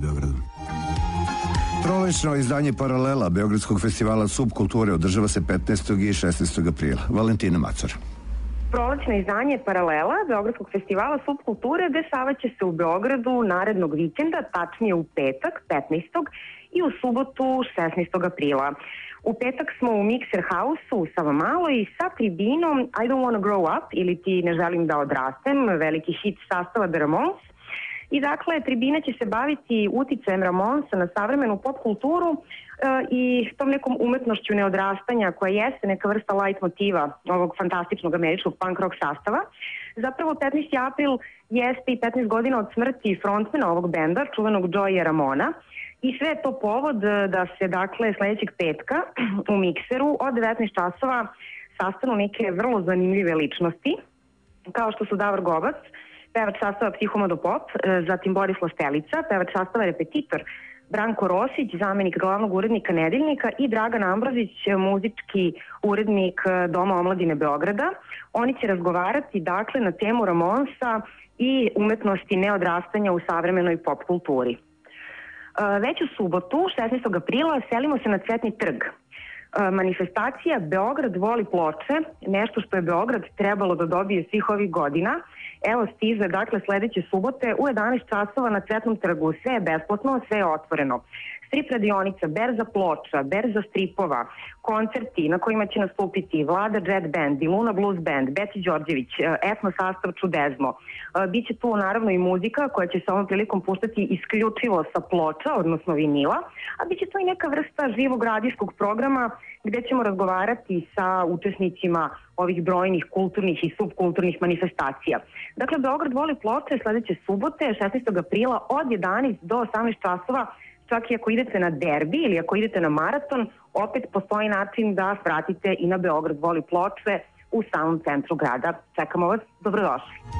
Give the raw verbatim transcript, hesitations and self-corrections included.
Beogradom. Prolećno izdanje Paralela Beogradskog festivala Subkulture održava se petnaestog i šesnaestog aprila. Valentina Macar. Prolećno izdanje Paralela Beogradskog festivala Subkulture dešavaće se u Beogradu narednog vikenda, tačnije u petak petnaestog i u subotu šesnaestog aprila. U petak smo u Mixer House-u u Savamaloj sa tribinom I Don't Wanna Grow Up ili Ti ne želim da odrastem, veliki hit sastava The Ramones. I dakle, tribina će se baviti uticajem Ramonesa na savremenu pop kulturu e, i tom nekom umetnošću neodrastanja koja jeste neka vrsta light motiva ovog fantastičnog američkog punk rock sastava. Zapravo petnaesti april jeste i petnaest godina od smrti frontmana ovog benda, čuvenog Joeya Ramona. I sve je to povod da se, dakle, sledećeg petka u Mikseru od devetnaest časova sastanu neke vrlo zanimljive ličnosti, kao što su Davor Gobac, pevač sastava Psihomodo Pop, zatim Boris Lastelica, pevač sastava Repetitor, Branko Rosić, zamenik glavnog urednika Nedeljnika i Dragan Ambrozić, muzički urednik Doma omladine Beograda. Oni će razgovarati, dakle, na temu Ramonesa i umetnosti neodrastanja u savremenoj pop kulturi. Već u subotu, šesnaestog aprila, selimo se na Cvetni trg. Manifestacija Beograd voli ploče, nešto što je Beograd trebalo da dobije svih ovih godina. Evo stiže, dakle, sledeće subote u jedanaest časova na Cvetnom trgu. Sve je besplatno, sve je otvoreno. Strip radionica, berza ploča, berza stripova, koncerti na kojima će nastupiti Vlada Jet Band, Luna Blues Band, Beci Đorđević, etno sastav Čudezmo. Biće tu naravno i muzika koja će se ovom prilikom puštati isključivo sa ploča, odnosno vinila, a biće to i neka vrsta živog radijskog programa gde ćemo razgovarati sa učesnicima ovih brojnih kulturnih i subkulturnih manifestacija. Dakle, Beograd voli ploče sledeće subote, šesnaestog aprila od jedanaest do osamnaest časova. Čak i ako idete na derbi ili ako idete na maraton, opet postoji način da svratite i na Beograd voli ploče u samom centru grada. Čekamo vas, dobrodošli.